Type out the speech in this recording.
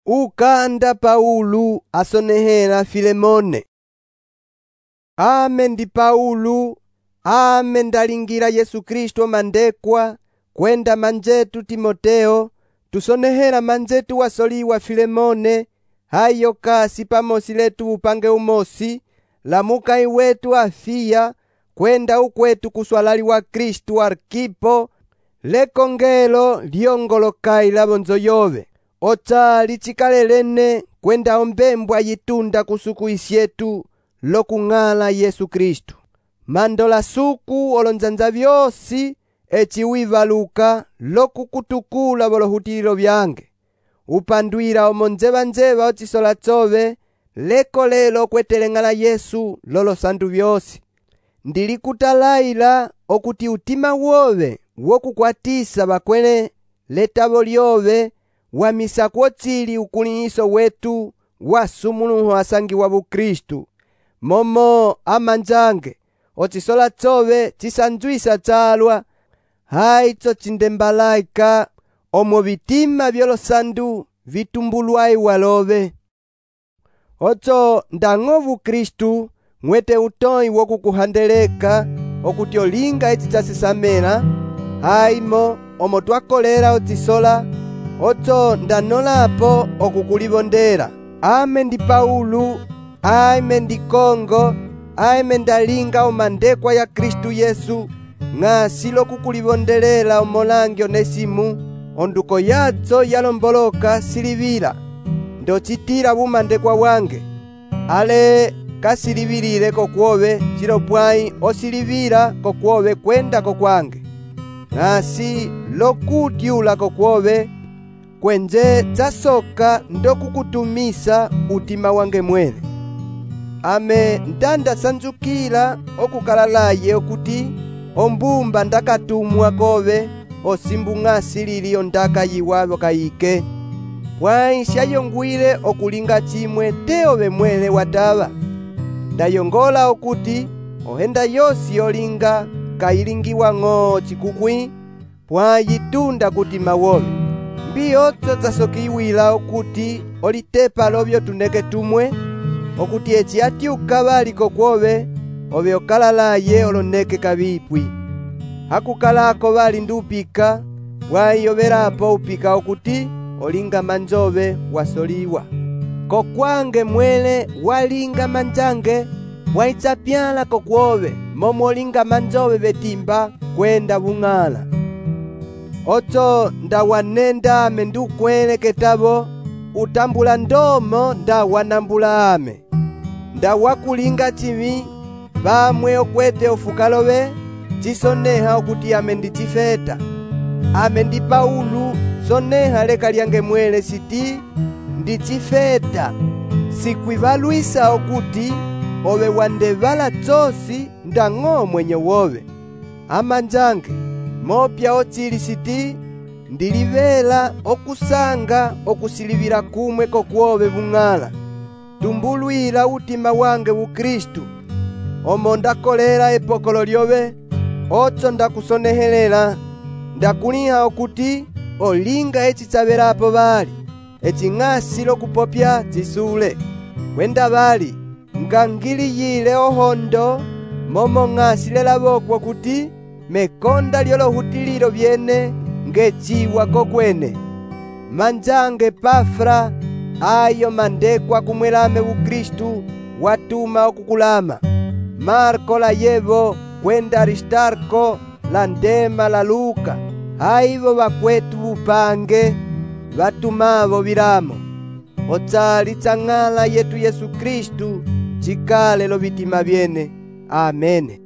Ukanda Paulo asonehela Filemone. Ame ndi Paulo, ame ndalingira Yesu Kristo mandekwa, kwenda manjetu Timoteo, tusonehela manjetu wasoliwa Filemone, hayo kasi pamosi letu upange umosi, lamukai wetu Afia, kwenda ukwetu kuswalali wa Kristu Arkipo, lekongelo lyongolokai labonzo yove. Ota lichikalelene kwenda ombembwa yitunda kusuku isyetu lokung'ala Yesu Kristu. Mandola suku olonzanza vyosi eci wivaluka lokukutukula bolohutililo byange. Upandwila omonzeva-nzeva ochisola chove lekolelo kweteleng'ala Yesu lolo sandu vyosi. Ndilikutalaila okuti utima wove wokukwatisa bakwele letabo lyove wamisa kwochili ukulihiso wetu wasumuluho asangi wa Bukristu. Momo amanjange ochisola chove chisanjwisa chalwa haicho chindembalaika omo vitima byolosandu vitumbulwai walove. Ocho ndang'ovu Kristu mwete utoi wokukuhandeleka okuti olinga eci chasisamela haimo omo twakolela ochisola. Ocho ndanolapo okukulibondela. Ame ndi Paulo, ame ndi Kongo, ame ndalinga omandekwa ya Kristu Yesu, ng'asi lokukulibondelela omolangi Onesimu, onduko yacho yalomboloka silivila, ndochitila bumandekwa wange. Ale kasilivilile kokwove chilopwai osilivila kokwove kwenda kokwange. Ng'asi lokutyula kokwove kwenje chasoka ndokukutumisa utima wange mwene. Ame ndanda sanjukila okukalalaye okuti ombumba ndakatumwa kove osimbu ng'asi liliyo ndaka yiwavo kayike. Pwai shayongwile okulinga chimwe teove mwele watava. Ndayongola okuti ohenda yosi yolinga kailingiwa ng'o chikukwi pwai yitunda kutima wove. Mbiyocho chasokiwila okuti olitepa lovyo tuneke tumwe, okuti eci atyuka bali kokwove ove okalalaye oloneke kabipwi. Hakukalako bali ndupika pwai ovelapo upika okuti olinga manjove wasoliwa. Kokwange mwele walinga manjange waichapyala kokwove momo olinga manjove betimba kwenda bung'ala. Ocho ndawanenda ame ndukwele ketabo utambula ndomo ndawanambula ame. Ndawakulinga chimi bamwe okwete ofukalove chisoneha okuti ame ndichifeta. Ame ndi Paulo soneha leka lyange mwele siti ndichifeta. Sikwivalwisa okuti ove wandevala chosi ndang'o mwenye wove. Amanjange mopya ochili siti ndilivela okusanga okusilivila kumwe kokwove bung'ala. Tumbulwila utima wange Bukristu omo ndakolela epokolo lyove. Ocho ndakusonehelela ndakuliha okuti olinga eci chavelapo bali eci ng'asi lokupopya chisule. Kwenda bali ngangiliyile ohondo momo ng'asi lelabokwa kuti mekonda lyolohutililo byene ngeciwa kokwene. Manjange Pafra ayo mandekwa kumwelame Bukristu watuma okukulama. Marko la yevo kwenda Aristarko la Ndema la Luka haivo bakwetu bupange batumavo bilamo. Ochali chang'ala yetu Yesu Kristu chikale lo bitima byene. Amene.